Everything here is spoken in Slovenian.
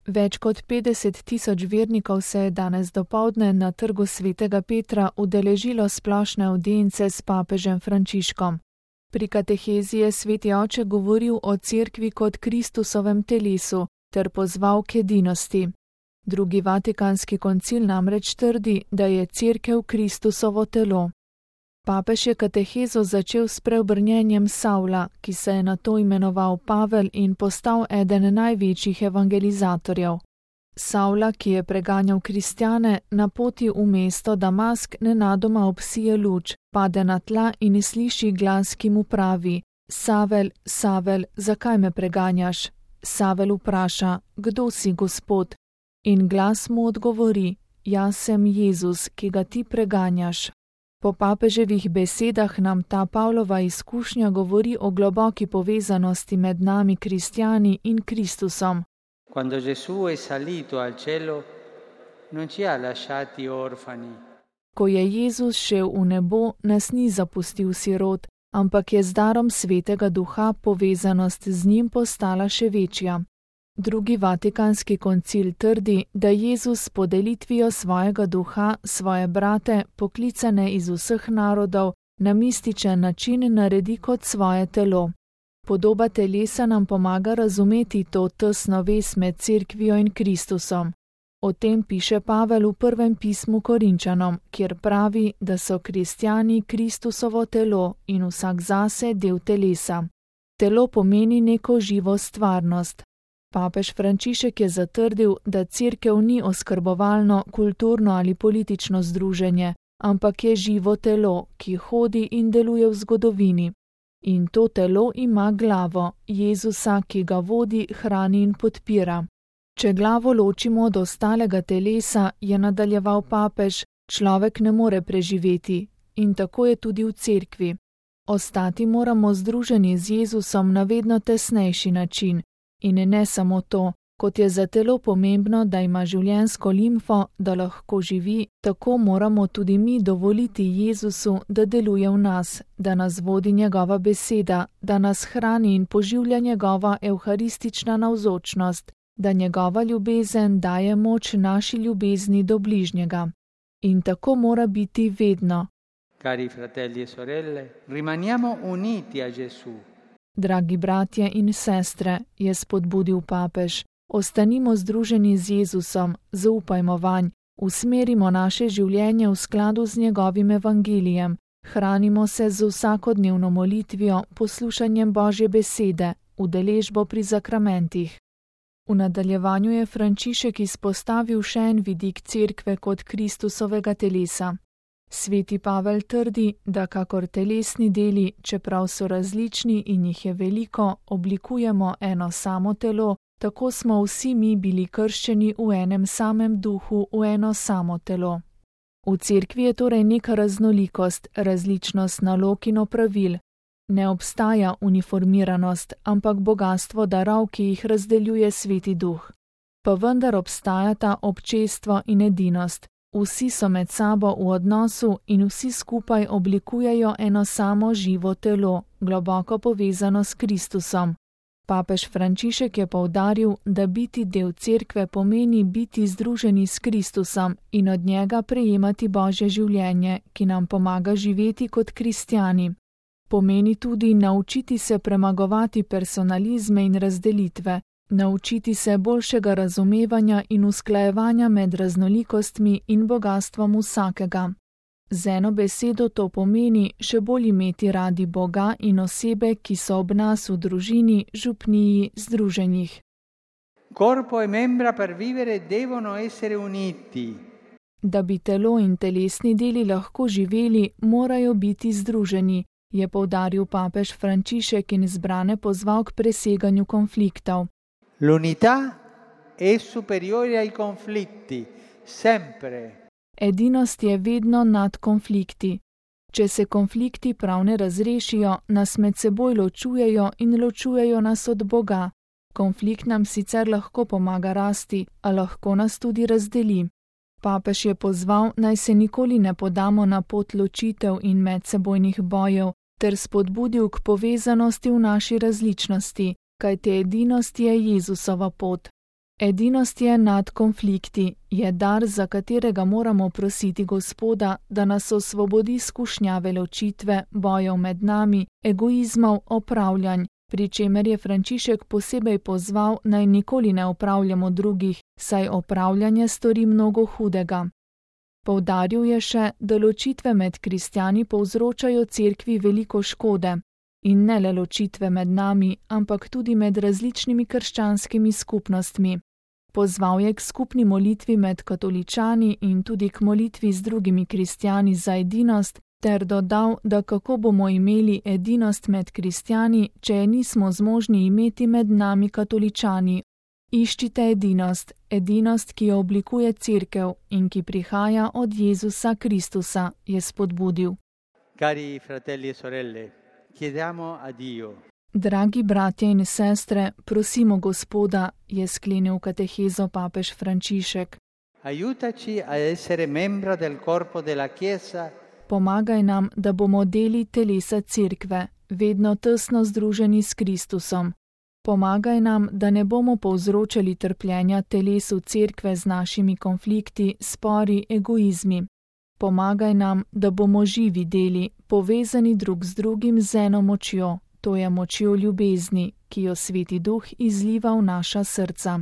Več kot 50 000 vernikov se je danes dopoldne na trgu svetega Petra udeležilo splošne avdience s papežem Frančiškom. Pri katehezi je sveti oče govoril o cerkvi kot Kristusovem telesu ter pozval k edinosti. Drugi vatikanski koncil namreč trdi, da je cerkev Kristusovo telo. Papež je katehezo začel s preobrnjenjem Savla, ki se je nato imenoval Pavel in postal eden največjih evangelizatorjev. Savla, ki je preganjal kristjane, na poti v mesto Damask nenadoma obsije luč, pade na tla in sliši glas, ki mu pravi: Savel, Savel, zakaj me preganjaš? Savel vpraša: Kdo si, Gospod? In glas mu odgovori: Jaz sem Jezus, ki ga ti preganjaš. Po papeževih besedah nam ta Pavlova izkušnja govori o globoki povezanosti med nami kristjani in Kristusom. Quando Gesù è salito al cielo, non ci ha lasciati orfani. Ko je Jezus šel v nebo, nas ni zapustil sirot, ampak je z darom Svetega Duha povezanost z njim postala še večja. Drugi vatikanski koncil trdi, da Jezus s podelitvijo svojega duha svoje brate, poklicane iz vseh narodov, na mističen način naredi kot svoje telo. Podoba telesa nam pomaga razumeti to tesno vez med cerkvijo in Kristusom. O tem piše Pavel v prvem pismu Korinčanom, kjer pravi, da so kristjani Kristusovo telo in vsak zase del telesa. Telo pomeni neko živo stvarnost. Papež Frančišek je zatrdil, da cerkev ni oskrbovalno, kulturno ali politično združenje, ampak je živo telo, ki hodi in deluje v zgodovini. In to telo ima glavo, Jezusa, ki ga vodi, hrani in podpira. Če glavo ločimo od ostalega telesa, je nadaljeval papež, človek ne more preživeti. In tako je tudi v cerkvi. Ostati moramo združeni z Jezusom na vedno tesnejši način. In ne samo to, kot je za telo pomembno, da ima življenjsko limfo, da lahko živi, tako moramo tudi mi dovoliti Jezusu, da deluje v nas, da nas vodi njegova beseda, da nas hrani in poživlja njegova evharistična navzočnost, da njegova ljubezen daje moč naši ljubezni do bližnjega. In tako mora biti vedno. Cari fratelli e sorelle, rimaniamo uniti a Gesù. Dragi bratje in sestre, je spodbudil papež, ostanimo združeni z Jezusom, zaupajmo vanj, usmerimo naše življenje v skladu z njegovim evangelijem, hranimo se z vsakodnevno molitvijo, poslušanjem Božje besede, udeležbo pri zakramentih. V nadaljevanju je Frančišek izpostavil še en vidik cerkve kot Kristusovega telesa. Sveti Pavel trdi, da kakor telesni deli, čeprav so različni in jih je veliko, oblikujemo eno samo telo, tako smo vsi mi bili krščeni v enem samem duhu, v eno samo telo. V cerkvi je torej neka raznolikost, različnost nalog in opravil. Ne obstaja uniformiranost, ampak bogastvo darov, ki jih razdeljuje Sveti Duh. Pa vendar obstajata občestvo in edinost. Vsi so med sabo v odnosu in vsi skupaj oblikujejo eno samo živo telo, globoko povezano s Kristusom. Papež Frančišek je poudaril, da biti del cerkve pomeni biti združeni s Kristusom in od njega prejemati Božje življenje, ki nam pomaga živeti kot kristjani. Pomeni tudi naučiti se premagovati personalizme in razdelitve, naučiti se boljšega razumevanja in usklajevanja med raznolikostmi in bogastvom vsakega. Z eno besedo to pomeni še bolj imeti radi Boga in osebe, ki so ob nas v družini, župniji, združenjih. Corpo e membra per vivere devono essere uniti. Da bi telo in telesni deli lahko živeli, morajo biti združeni, je poudaril papež Frančišek in zbrane pozval k preseganju konfliktov. L'unità è superiore ai conflitti, sempre. Edinost je vedno nad konflikti. Če se konflikti prav ne razrešijo, nas med seboj ločujejo in ločujejo nas od Boga. Konflikt nam sicer lahko pomaga rasti, a lahko nas tudi razdeli. Papež je pozval, naj se nikoli ne podamo na pot ločitev in medsebojnih bojev, ter spodbudil k povezanosti v naši različnosti, kajti edinost je Jezusova pot. Edinost je nad konflikti, je dar, za katerega moramo prositi Gospoda, da nas osvobodi skušnjave ločitve, bojev med nami, egoizmov, opravljanj, pri čemer je Frančišek posebej pozval, naj nikoli ne opravljamo drugih, saj opravljanje stori mnogo hudega. Poudaril je še, da ločitve med kristjani povzročajo cerkvi veliko škode. In ne le ločitve med nami, ampak tudi med različnimi krščanskimi skupnostmi. Pozval je k skupni molitvi med katoličani in tudi k molitvi z drugimi kristjani za edinost, ter dodal, da kako bomo imeli edinost med kristjani, če je nismo zmožni imeti med nami katoličani. Iščite edinost, ki jo oblikuje cerkev in ki prihaja od Jezusa Kristusa, je spodbudil. Cari fratelli e sorelle, chiediamo a Dio. Dragi bratje in sestre, prosimo Gospoda, je sklenil katehezo papež Frančišek. Aiutaci a essere membro del corpo della Chiesa. Pomagaj nam, da bomo deli telesa cerkve, vedno tesno združeni s Kristusom. Pomagaj nam, da ne bomo povzročali trpljenja telesu cerkve z našimi konflikti, spori, egoizmi. Pomagaj nam, da bomo živi deli, povezani drug z drugim z eno močjo, to je močjo ljubezni, ki jo Sveti Duh izliva v naša srca.